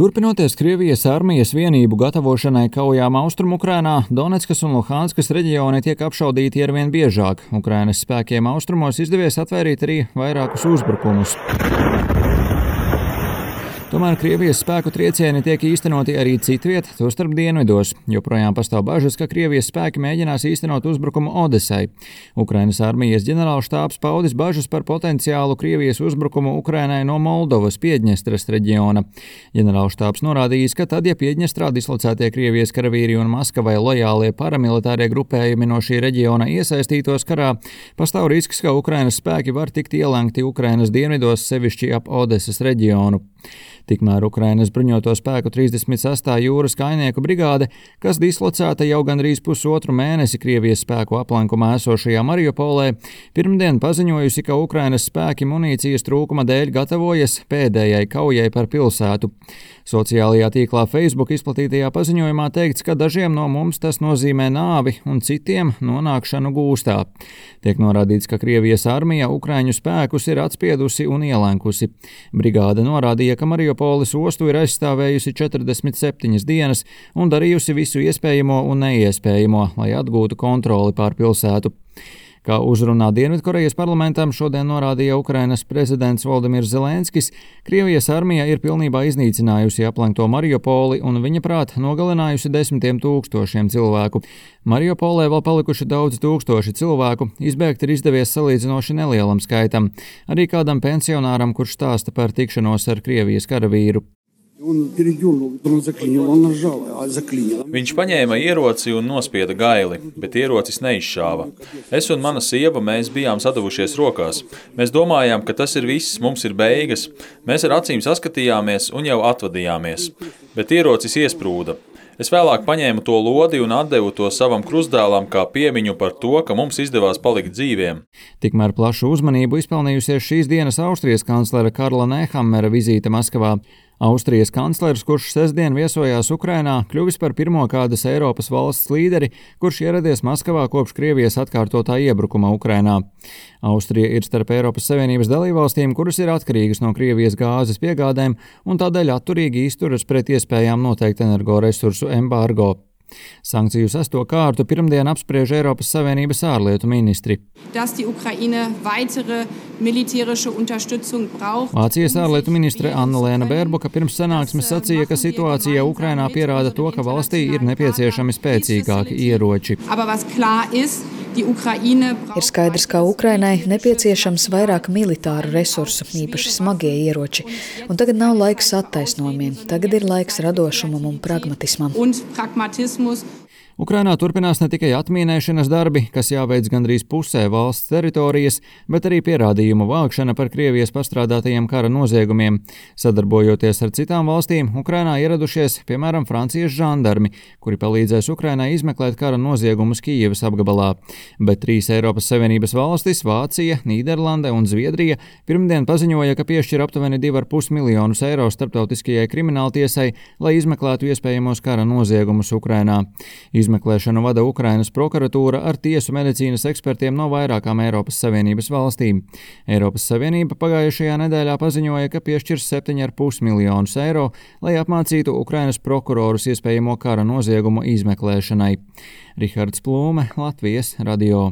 Turpinoties Krievijas armijas vienību gatavošanai kaujām Austrumu-Ukrainā, Donetskas un Luhanskas reģioni tiek apšaudīti arvien biežāk. Ukrainas spēkiem austrumos izdevies atvērīt arī vairākus uzbrukumus. Tomēr Krievijas spēku triecieni tiek īstenoti arī citviet, tostarp dienvidos. Joprojām pastāv bažas, ka Krievijas spēki mēģinās īstenot uzbrukumu Odesai. Ukrainas armijas ģenerālštābs paudis bažas par potenciālu Krievijas uzbrukumu Ukrainai no Moldovas Piedņestras reģiona. Ģenerālštābs norādījis, ka tad, ja Piedņestrā dislocētie Krievijas karavīri un Maskavai lojālie paramilitārie grupējumi no šī reģiona iesaistītos karā, pastāv risks, ka Ukrainas spēki var tikt ielenkti Ukrainas dienvidos, sevišķi ap Odesas reģionu. Tikmēr Ukrainas bruņoto spēku 36. jūras kainieku brigāde, kas dislocēta jau gandrīz pusotru mēnesi Krievijas spēku aplenkumā esošajā Mariupolē, pirmdien paziņojusi, ka Ukrainas spēki munīcijas trūkuma dēļ gatavojas pēdējai kaujai par pilsētu. Sociālajā tīklā Facebook izplatītajā paziņojumā teikts, ka dažiem no mums tas nozīmē nāvi un citiem nonākšanu gūstā. Tiek norādīts, ka Krievijas armija Ukraiņu spēkus ir atspiedusi un ielenkusi. Brigāde norādīja, ka Mariupoles ostu ir aizstāvējusi 47 dienas un darījusi visu iespējamo un neiespējamo, lai atgūtu kontroli pār pilsētu. Kā uzrunā Dienvidkorejas parlamentam šodien norādīja Ukrainas prezidents Voldimirs Zelenskis, Krievijas armija ir pilnībā iznīcinājusi aplenkto Mariupoli un viņa prāt nogalinājusi 10 000 cilvēku. Mariupolē vēl palikuši daudz tūkstoši cilvēku, izbēgt ir izdevies salīdzinoši nelielam skaitam, arī kādam pensionāram, kurš stāsta par tikšanos ar Krievijas karavīru. Viņš paņēma ieroci un nospieda gaili, bet ierocis neizšāva. Es un mana sieva, mēs bijām sadavušies rokās. Mēs domājām, ka tas ir viss, mums ir beigas. Mēs ar acīm saskatījāmies un jau atvadījāmies. Bet ierocis iesprūda. Es vēlāk paņēmu to lodi un atdevu to savam krustdēlam kā piemiņu par to, ka mums izdevās palikt dzīviem. Tikmēr plašu uzmanību izpelnījusies šīs dienas Austrijas kanclera Karla Nehammera vizīte Maskavā. Austrijas kanclers, kurš sestdien viesojās Ukrainā, kļuvis par pirmo kādas Eiropas valsts līderi, kurš ieradies Maskavā kopš Krievijas atkārtotā iebrukuma Ukrainā. Austrija ir starp Eiropas Savienības dalībvalstīm, kuras ir atkarīgas no Krievijas gāzes piegādēm un tādēļ atturīgi izturas pret iespējām noteikt energoresursu embargo. Sankciju 6. kārtu pirmdien apspriež Eiropas Savienības ārlietu ministri. Vācijas ārlietu ministre Annalēna Bērboka pirms sanāksmes sacīja, ka situācija Ukrainā pierāda to, ka valstī ir nepieciešami spēcīgāki ieroči. Ir skaidrs, ka Ukrainai nepieciešams vairāk militāru resursu, īpaši smagie ieroči. Un tagad nav laiks attaisnojumiem, tagad ir laiks radošumam un pragmatismam. Ukrainā turpinās ne tikai atmīnēšanas darbi, kas jāveic gandrīz pusē valsts teritorijas, bet arī pierādījumu vākšana par Krievijas pastrādātajiem kara noziegumiem. Sadarbojoties ar citām valstīm, Ukrainā ieradušies, piemēram, Francijas žandarmi, kuri palīdzēs Ukrainai izmeklēt kara noziegumus Kijevas apgabalā. Bet 3 Eiropas Savienības valstis, Vācija, Nīderlande un Zviedrija, pirmdien paziņoja, ka piešķir aptuveni 2,5 miljonus eiro starptautiskajai krimināltiesai, lai izmeklētu iespējamos kara noziegumus Ukrainā. Izmeklēšanu vada Ukrainas prokuratūra ar tiesu medicīnas ekspertiem no vairākām Eiropas Savienības valstīm. Eiropas Savienība pagājušajā nedēļā paziņoja, ka piešķirs 7,5 miljonus eiro, lai apmācītu Ukrainas prokurorus iespējamo kara noziegumu izmeklēšanai. Rihards Plūme, Latvijas radio.